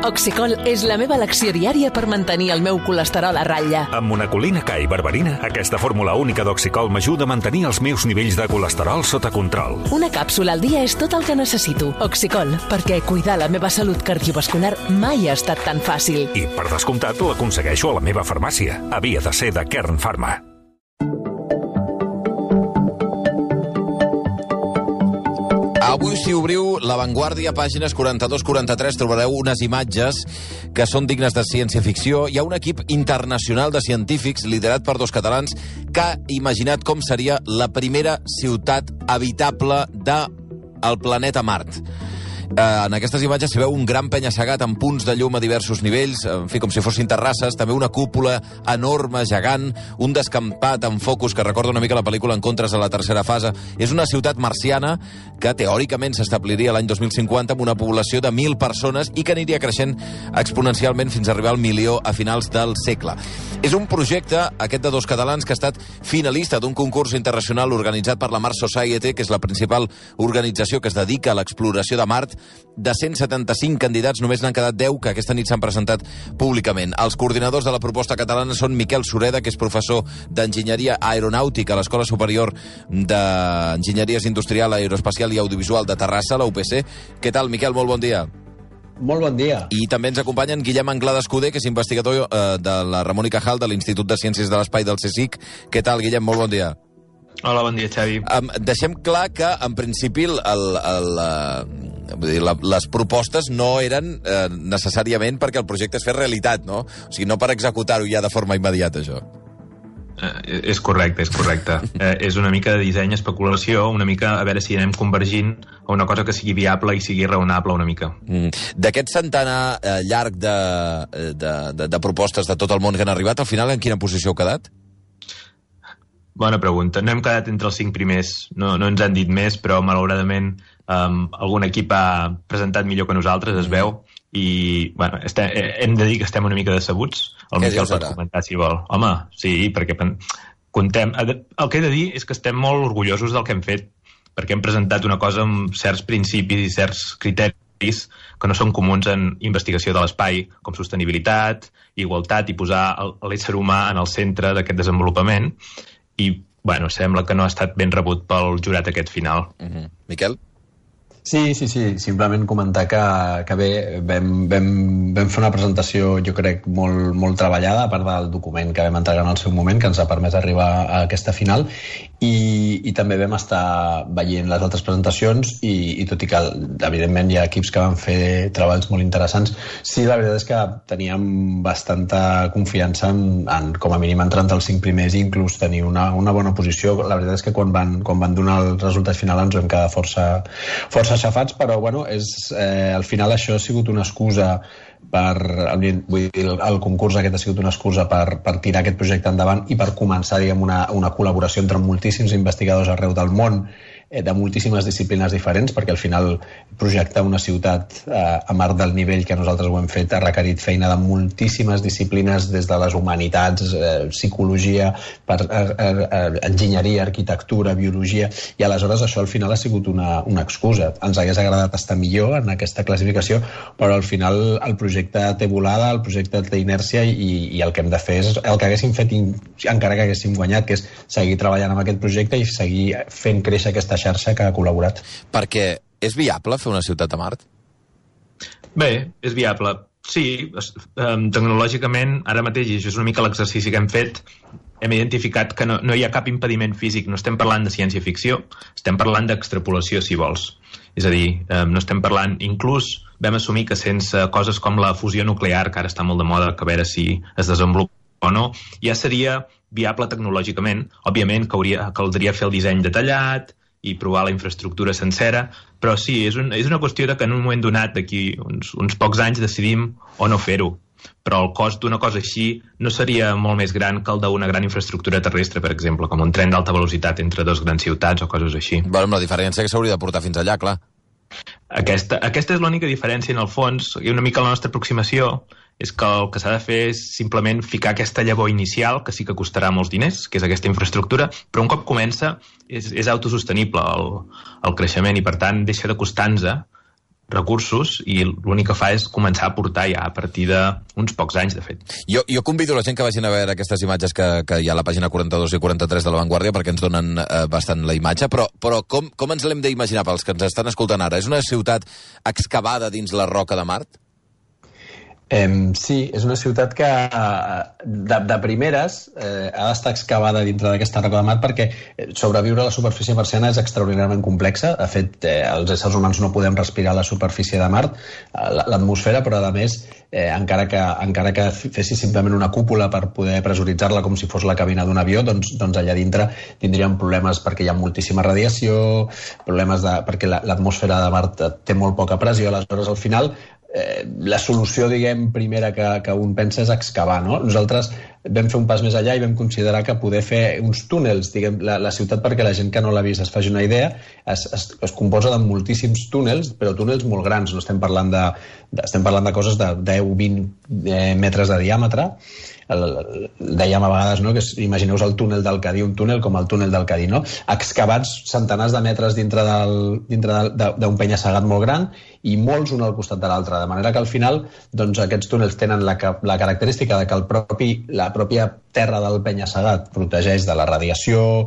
Oxicol és la meva elecció diària per mantenir el meu colesterol a ratlla. Amb monacolina K i berberina, aquesta fórmula única d'Oxicol m'ajuda a mantenir els meus nivells de colesterol sota control. Una càpsula al dia és tot el que necessito. Oxicol, perquè cuidar la meva salut cardiovascular mai ha estat tan fàcil. I, per descomptat, l'aconsegueixo a la meva farmàcia. Havia de ser de Kern Pharma. Avui, si obriu La Vanguardia, pàgines 42-43, trobareu unes imatges que són dignes de ciència-ficció. Hi ha un equip internacional de científics, liderat per 2 catalans, que ha imaginat com seria la primera ciutat habitable del planeta Mart. En aquestes imatges s'hi veu un gran penya-segat amb punts de llum a diversos nivells, en fi, com si fossin terrasses, també una cúpula enorme, gegant, un descampat amb focus que recorda una mica la pel·lícula Encontres a la tercera fase. És una ciutat marciana que teòricament s'establiria l'any 2050 amb una població de 1.000 persones i que aniria creixent exponencialment fins a arribar al 1.000.000 a finals del segle. És un projecte, aquest de 2 catalans, que ha estat finalista d'un concurs internacional organitzat per la Mars Society, que és la principal organització que es dedica a l'exploració de Mart. De 175 candidats, només n'han quedat 10 que aquesta nit s'han presentat públicament. Els coordinadors de la proposta catalana són Miquel Sureda, que és professor d'Enginyeria Aeronàutica a l'Escola Superior d'Enginyeries Industrial, Aeroespacial i Audiovisual de Terrassa, la UPC. Què tal, Miquel? Molt bon dia. Molt bon dia. I també ens acompanyen Guillem Anglada Escudé, que és investigador de la Ramon y Cajal, de l'Institut de Ciències de l'Espai del CSIC. Què tal, Guillem? Molt bon dia. Hola, bon dia, Xavi. Deixem clar que, en principi, les propostes no eren necessàriament perquè el projecte es fes realitat, no? O sigui, no per executar-ho ja de forma immediata, això. És correcte, és correcte. És una mica de disseny, especulació, una mica a veure si anem convergint a una cosa que sigui viable i sigui raonable una mica. D'aquest centenar llarg de propostes de tot el món que han arribat, al final en quina posició heu quedat? Bona pregunta. No hem quedat entre els 5 primers. No ens han dit més, però malauradament algun equip ha presentat millor que nosaltres, es veu, i bueno, hem de dir que estem una mica decebuts. El Miquel pot comentar si vol. Home, sí, perquè contem... El que he de dir és que estem molt orgullosos del que hem fet, perquè hem presentat una cosa amb certs principis i certs criteris que no són comuns en investigació de l'espai, com sostenibilitat, igualtat i posar l'ésser humà en el centre d'aquest desenvolupament. I, bueno, sembla que no ha estat ben rebut pel jurat aquest final. Miquel? Sí, simplement comentar que bé, vam fer una presentació, jo crec, molt treballada, a part del document que vam entregar en el seu moment, que ens ha permès arribar a aquesta final, i també vam estar veient les altres presentacions, i tot i que, evidentment, hi ha equips que van fer treballs molt interessants, sí, la veritat és que teníem bastanta confiança en com a mínim, entrar entre els 5 primers i inclús tenir una bona posició. La veritat és que quan van donar el resultat final ens vam quedar força xafats, però bueno, al final això ha sigut una excusa vull dir, el concurs aquest ha sigut una excusa per tirar aquest projecte endavant i per començar, diguem, una col·laboració entre moltíssims investigadors arreu del món, de moltíssimes disciplines diferents, perquè al final projectar una ciutat a Mart del nivell que nosaltres ho hem fet ha requerit feina de moltíssimes disciplines, des de les humanitats, psicologia, enginyeria, arquitectura, biologia, i aleshores això al final ha sigut una excusa. Ens hagués agradat estar millor en aquesta classificació, però al final el projecte té volada, el projecte té inèrcia, i el que hem de fer és el que haguéssim fet encara que haguéssim guanyat, que és seguir treballant amb aquest projecte i seguir fent créixer aquesta xarxa que ha col·laborat. Perquè és viable fer una ciutat a Mart? Bé, és viable. Sí, tecnològicament, ara mateix, i això és una mica l'exercici que hem fet, hem identificat que no hi ha cap impediment físic. No estem parlant de ciència-ficció, estem parlant d'extrapolació, si vols. És a dir, no estem parlant... Inclús vam assumir que sense coses com la fusió nuclear, que ara està molt de moda, que a veure si es desenvolupa o no, ja seria viable tecnològicament. Òbviament, caldria fer el disseny detallat i provar la infraestructura sencera, però sí, és una qüestió de que en un moment donat, d'aquí uns pocs anys, decidim o no fer-ho. Però el cost d'una cosa així no seria molt més gran que el d'una gran infraestructura terrestre, per exemple, com un tren d'alta velocitat entre 2 grans ciutats o coses així. Bueno, amb la diferència que s'hauria de portar fins allà, clar. Aquesta és l'única diferència, en el fons, i una mica la nostra aproximació és que el que s'ha de fer és simplement ficar aquesta llavor inicial, que sí que costarà molts diners, que és aquesta infraestructura, però un cop comença és autosostenible el creixement i, per tant, deixa de costar-nos recursos i l'únic que fa és començar a portar ja a partir d'uns pocs anys, de fet. Jo convido la gent que vagin a veure aquestes imatges que hi ha a la pàgina 42 i 43 de La Vanguardia perquè ens donen bastant la imatge, però com ens l'hem d'imaginar pels que ens estan escoltant ara? És una ciutat excavada dins la roca de Mart? Sí, és una ciutat que de primeres ha d'estar excavada dintre d'aquesta roca de Mart perquè sobreviure a la superfície marciana és extraordinàriament complexa. De fet, els éssers humans no podem respirar a la superfície de Mart, l'atmosfera, però a més, encara que fessis simplement una cúpula per poder pressuritzar-la com si fos la cabina d'un avió, doncs allà dintre tindríem problemes perquè hi ha moltíssima radiació, problemes perquè l'atmosfera de Mart té molt poca pressió, aleshores al final la solució, diguem, primera que un pensa és excavar, no? Nosaltres vam fer un pas més allà i vam considerar que poder fer uns túnels, diguem, la ciutat, perquè la gent que no l'ha vist es faci una idea, es composa de moltíssims túnels, però túnels molt grans, no estem parlant de coses de 10-20 metres de diàmetre. Dèiem a vegades, no, que imagineu-vos el túnel del Cadí, un túnel com el túnel del Cadí, no? Excavats centenars de metres dintre d'un penya-segat molt gran i molts un al costat de l'altre, de manera que al final doncs, aquests túnels tenen la característica de que la pròpia terra del penya-segat protegeix de la radiació,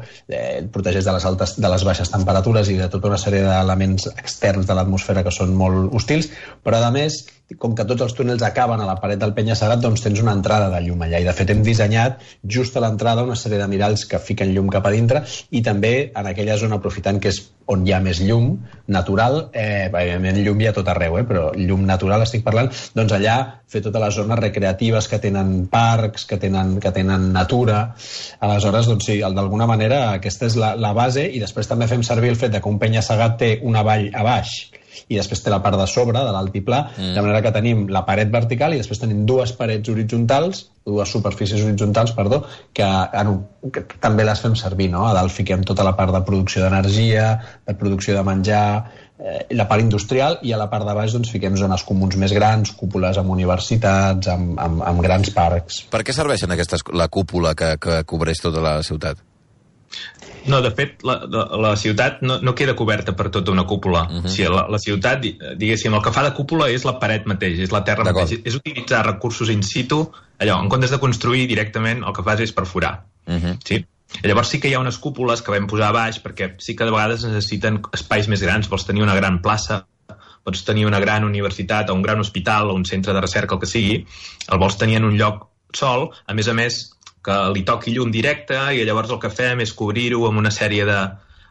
protegeix de les baixes temperatures i de tota una sèrie d'elements externs de l'atmosfera que són molt hostils, però a més, com que tots els túnels acaben a la paret del penya-segat, doncs tens una entrada de llum allà. I de fet hem dissenyat just a l'entrada una sèrie de miralls que fiquen llum cap a dintre i també en aquella zona, aprofitant que és on hi ha més llum natural, evidentment llum hi ha tot arreu, però llum natural estic parlant, doncs allà fer totes les zones recreatives que tenen parcs, que tenen natura. Aleshores, doncs sí, d'alguna manera aquesta és la base i després també fem servir el fet que un penya-segat té una vall a baix i després té la part de sobre, de l'altiplà, de manera que tenim la paret vertical i després tenim dues superfícies horitzontals, que també les fem servir, no? A dalt fiquem tota la part de producció d'energia, de producció de menjar, la part industrial, i a la part de baix doncs, fiquem zones comuns més grans, cúpules amb universitats, amb grans parcs. Per què serveixen la cúpula que cobreix tota la ciutat? No, de fet, la ciutat no queda coberta per tota una cúpula. O sigui, la ciutat, diguéssim, el que fa de cúpula és la paret mateix, és la terra mateix. És utilitzar recursos in situ, allò, en comptes de construir directament, el que fas és perforar. Sí? Llavors sí que hi ha unes cúpules que vam posar a baix, perquè sí que de vegades necessiten espais més grans. Vols tenir una gran plaça, pots tenir una gran universitat o un gran hospital o un centre de recerca, el que sigui, el vols tenir en un lloc sol, a més que li toqui llum directe, i llavors el que fem és cobrir-ho amb una sèrie de...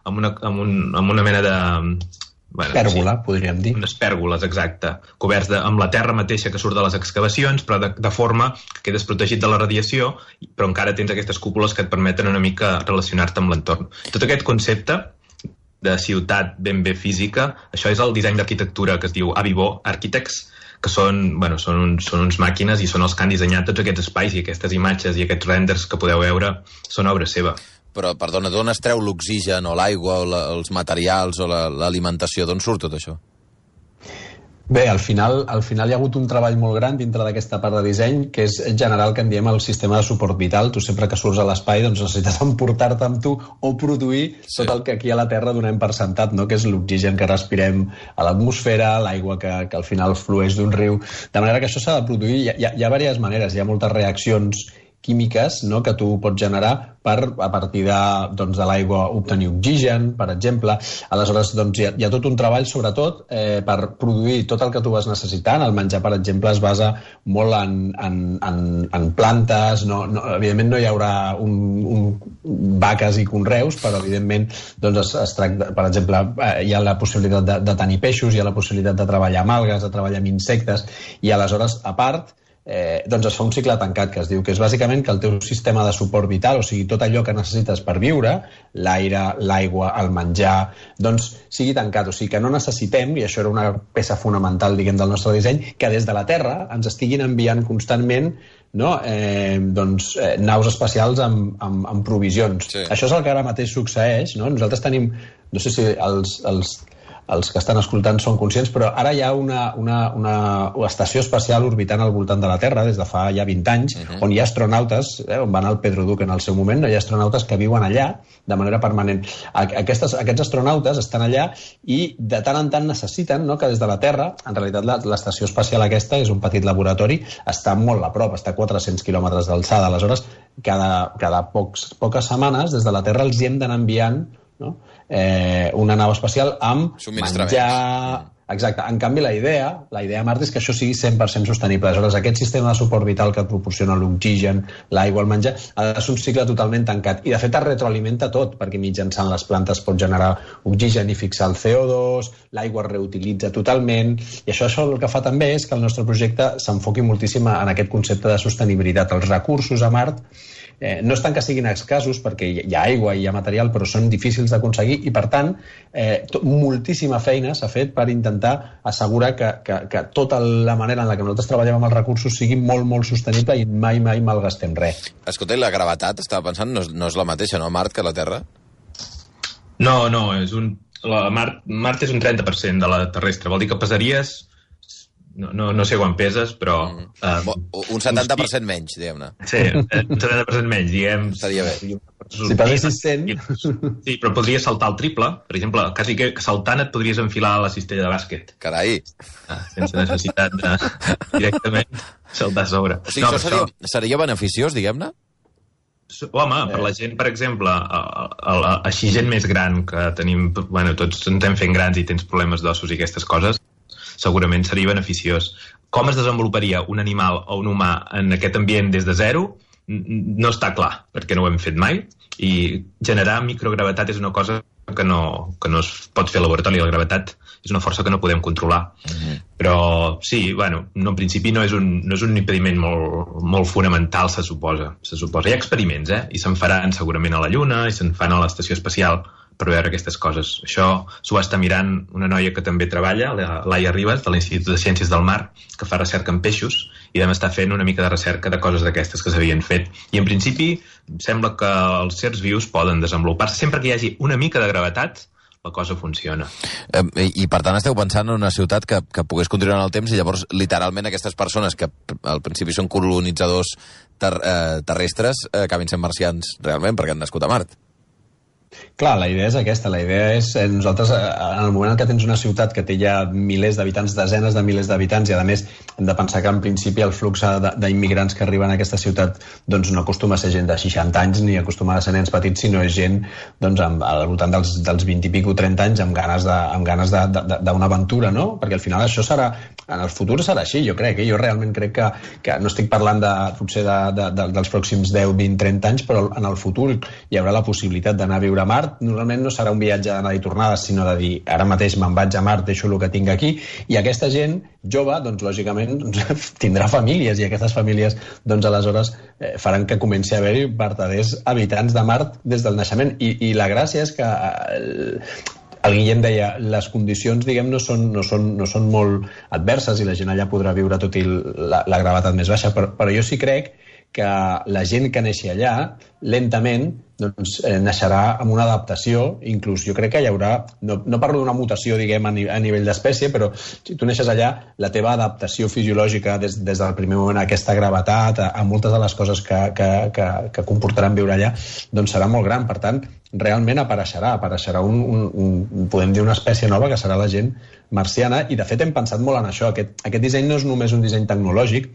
amb una mena de... Pèrgola, podríem dir. Unes pèrgoles, exacte. Coberts amb la terra mateixa que surt de les excavacions, però de forma que quedes protegit de la radiació, però encara tens aquestes cúpules que et permeten una mica relacionar-te amb l'entorn. Tot aquest concepte de ciutat ben bé física, això és el disseny d'arquitectura que es diu Avivó Architects, que són uns màquines i són els que han dissenyat tots aquests espais i aquestes imatges i aquests renders que podeu veure són obra seva. Però, perdona, d'on es treu l'oxigen o l'aigua o els materials o l'alimentació? D'on surt tot això? Bé, al final hi ha hagut un treball molt gran dintre d'aquesta part de disseny, que és generar el que en diem el sistema de suport vital. Tu sempre que surts a l'espai doncs necessites emportar-te amb tu o produir tot el que aquí a la Terra donem per sentat, no? Que és l'oxigen que respirem a l'atmosfera, l'aigua que al final flueix d'un riu. De manera que això s'ha de produir. Hi ha diverses maneres, hi ha moltes reaccions químiques, no?, que tu pots generar a partir de l'aigua obtenir oxigen, per exemple. Aleshores, doncs, hi ha tot un treball, sobretot, per produir tot el que tu vas necessitant. El menjar, per exemple, es basa molt en plantes. Evidentment no hi haurà vaques i conreus, però evidentment doncs, es tracta, per exemple, hi ha la possibilitat de tenir peixos, hi ha la possibilitat de treballar amb algues, de treballar amb insectes, i aleshores, a part, doncs es fa un cicle tancat que es diu que és bàsicament que el teu sistema de suport vital, o sigui, tot allò que necessites per viure, l'aire, l'aigua, el menjar, doncs sigui tancat, o sigui que no necessitem, i això era una peça fonamental, diguem, del nostre disseny, que des de la Terra ens estiguin enviant constantment naus espacials amb provisions. Sí. Això és el que ara mateix succeeix, no? Nosaltres tenim, no sé si els que estan escoltant són conscients, però ara hi ha una estació espacial orbitant al voltant de la Terra des de fa ja 20 anys, on hi ha astronautes, on va anar el Pedro Duque en el seu moment, hi ha astronautes que viuen allà de manera permanent. Aquests astronautes estan allà i de tant en tant necessiten, no, que des de la Terra, en realitat l'estació espacial aquesta és un petit laboratori, està molt a prop, està a 400 quilòmetres d'alçada. Aleshores, cada poques setmanes des de la Terra els hi hem d'anar enviant, no, una nau espacial amb menjar... Exacte. En canvi, la idea a Mart és que això sigui 100% sostenible. Aleshores, aquest sistema de suport vital que et proporciona l'oxigen, l'aigua, el menjar, ha de ser un cicle totalment tancat. I, de fet, es retroalimenta tot, perquè mitjançant les plantes pot generar oxigen i fixar el CO2, l'aigua es reutilitza totalment, i això el que fa també és que el nostre projecte s'enfoqui moltíssim en aquest concepte de sostenibilitat. Els recursos a Mart no és tant que siguin escassos, perquè hi ha aigua i hi ha material, però són difícils d'aconseguir i, per tant, moltíssima feina s'ha fet per intentar assegurar que tota la manera en la que nosaltres treballem amb els recursos sigui molt, molt sostenible i mai malgastem res. Escolta, i la gravetat, estava pensant, no és la mateixa, no, a Mart, que a la Terra? No, Mart és un 30% de la terrestre. Vol dir que pesaries... No sé quan peses, però... un 70% menys, diguem-ne. Sí, un 70% menys, diguem... Estaria bé. Si pesessis 100... Sí, però podries saltar el triple. Per exemple, quasi que saltant et podries enfilar a la cistella de bàsquet. Carai! Sense necessitat de directament saltar a sobre. O sigui, això seria beneficiós, diguem-ne? Home, per la gent, per exemple, així gent més gran que tenim... Bueno, tots ens estem fent grans i tens problemes d'ossos i aquestes coses, segurament seria beneficiós. Com es desenvoluparia un animal o un humà en aquest ambient des de zero no està clar, perquè no ho hem fet mai, i generar microgravetat és una cosa que no es pot fer a laboratori. La gravetat és una força que no podem controlar. Però sí, bueno, en principi no és un impediment molt fonamental, se suposa. Hi ha experiments, i se'n faran segurament a la Lluna i se'n fan a l'estació espacial per veure aquestes coses. Això s'ho va estar mirant una noia que també treballa, Laia Ribas, de l'Institut de Ciències del Mar, que fa recerca en peixos, i vam estar fent una mica de recerca de coses d'aquestes que s'havien fet. I en principi sembla que els certs vius poden desenvolupar-se. Sempre que hi hagi una mica de gravetat, la cosa funciona. I per tant esteu pensant en una ciutat que pogués continuar en el temps i llavors literalment aquestes persones que al principi són colonitzadors terrestres acabin sent marcians realment perquè han nascut a Mart. Clar, la idea és aquesta. La idea és, nosaltres, en el moment en què tens una ciutat que té ja milers d'habitants, desenes de milers d'habitants, i a més hem de pensar que en principi el flux d'immigrants que arriben a aquesta ciutat doncs no acostuma a ser gent de 60 anys ni acostuma a ser nens petits, sinó és gent doncs, al voltant dels 20 i pico, 30 anys amb ganes d'una aventura, no? Perquè al final això serà, en el futur serà així, jo crec. Jo realment crec que no estic parlant potser dels pròxims 10, 20, 30 anys, però en el futur hi haurà la possibilitat d'anar a viure a Mart. Normalment no serà un viatge d'anada i tornada, sinó de dir, ara mateix me'n vaig a Mart, deixo el que tinc aquí, i aquesta gent jove, doncs lògicament tindrà famílies, i aquestes famílies doncs aleshores faran que comenci a haver-hi verdaders habitants de Mart des del naixement, i la gràcia és que el Guillem deia, les condicions, diguem, no són molt adverses i la gent allà podrà viure tot i la gravetat més baixa, però jo sí crec que la gent que neixi allà, lentament, doncs, naixerà amb una adaptació, inclús jo crec que hi haurà, no parlo d'una mutació, diguem, a nivell d'espècie, però si tu neixes allà, la teva adaptació fisiològica des del primer moment a aquesta gravetat, a moltes de les coses que comportaran viure allà, doncs serà molt gran. Per tant, realment apareixerà podem dir una espècie nova que serà la gent marciana, i de fet hem pensat molt en això. Aquest disseny no és només un disseny tecnològic,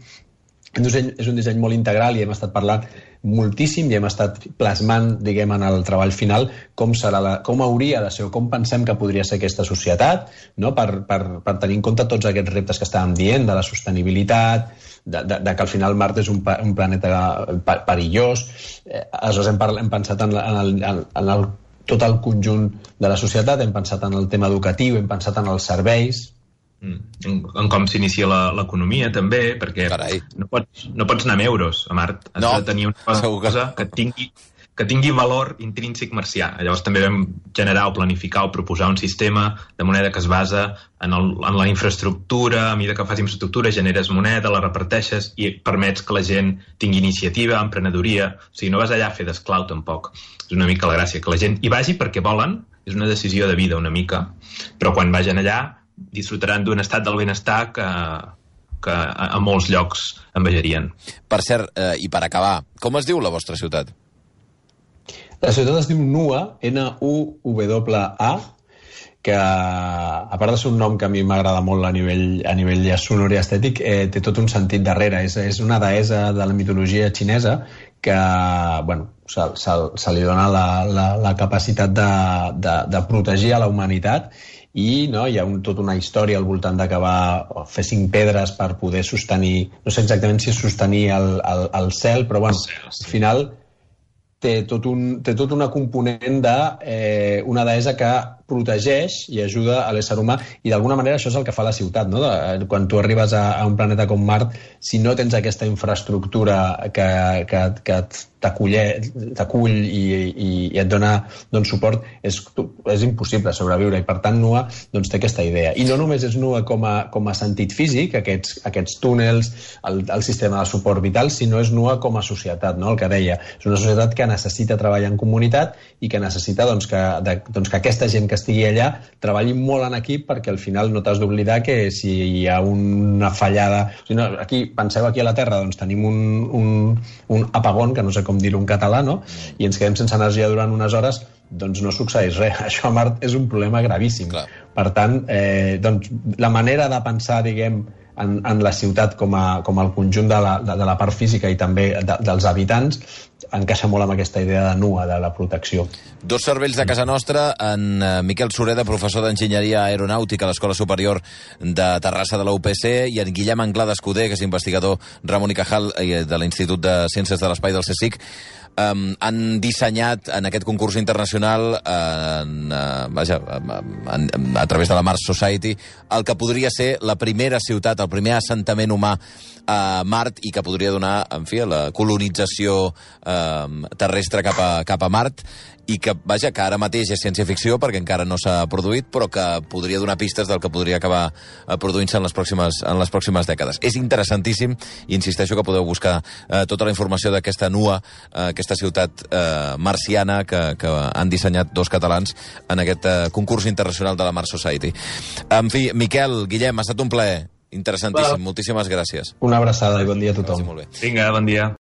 és un disseny molt integral, i hem estat parlant moltíssim i hem estat plasmant, diguem, en el treball final com hauria de ser o com pensem que podria ser aquesta societat, no? per tenir en compte tots aquests reptes que estàvem dient, de la sostenibilitat, de que al final Mart és un planeta perillós. Aleshores hem pensat en tot el conjunt de la societat, hem pensat en el tema educatiu, hem pensat en els serveis, en com s'inicia l'economia també, perquè no pots anar amb euros a Mart, has de tenir una cosa que tingui valor intrínsec marcià. Llavors també vam generar o planificar o proposar un sistema de moneda que es basa en la infraestructura. A mesura que fas infraestructura generes moneda, la reparteixes i permets que la gent tingui iniciativa, emprenedoria. O sigui, no vas allà a fer d'esclau tampoc. És una mica la gràcia, que la gent hi vagi perquè volen és una decisió de vida una mica, però quan vagin allà disfrutaran d'un estat del benestar que a molts llocs envejarien. Per cert, i per acabar, com es diu la vostra ciutat? La ciutat es diu Nua, N-U-W-A, que a part de ser un nom que a mi m'agrada molt a nivell sonor i estètic, té tot un sentit darrere. És una deessa de la mitologia xinesa que se li dona la capacitat de protegir a la humanitat i hi ha tota una història al voltant d'acabar fer 5 pedres per poder sostenir, no sé exactament si és sostenir el cel, però al final té tot una component d'una deessa que protegeix i ajuda a l'ésser humà, i d'alguna manera això és el que fa la ciutat, no? Quan tu arribes a un planeta com Mart, si no tens aquesta infraestructura que t'acull i et dona suport, és impossible sobreviure, i per tant Nua té aquesta idea. I no només és Nua com a sentit físic, aquests túnels, el sistema de suport vital, sinó és Nua com a societat, no? El que deia, és una societat que necessita treballar en comunitat i que necessita que aquesta gent que estigui allà treballi molt en equip, perquè al final no t'has d'oblidar que si hi ha una fallada... Penseu aquí a la Terra, tenim un apagón, que no sé com dir-ho en català, no? I ens quedem sense energia durant unes hores, doncs no succeeix res. Això a Mart és un problema gravíssim. Clar. Per tant, la manera de pensar, diguem, en la ciutat com el conjunt de la part física i també dels habitants encaixa molt amb aquesta idea de Nua, de la protecció. 2 cervells de casa nostra, en Miquel Sureda, professor d'Enginyeria Aeronàutica a l'Escola Superior de Terrassa de la UPC, i en Guillem Anglada Escudé, que és investigador Ramon i Cajal de l'Institut de Ciències de l'Espai del CSIC, han dissenyat en aquest concurs internacional a través de la Mars Society el que podria ser la primera ciutat, el primer assentament humà a Mart, i que podria donar, en fi, la colonització terrestre cap a Mart, i que ara mateix és ciència-ficció perquè encara no s'ha produït, però que podria donar pistes del que podria acabar produint-se en les pròximes dècades. És interessantíssim, i insisteixo que podeu buscar tota la informació d'aquesta Nua, aquesta ciutat marciana que han dissenyat 2 catalans en aquest concurs internacional de la Mars Society. En fi, Miquel, Guillem, ha estat un plaer interessantíssim. Moltíssimes gràcies. Una abraçada i bon dia a tothom. Vinga, bon dia.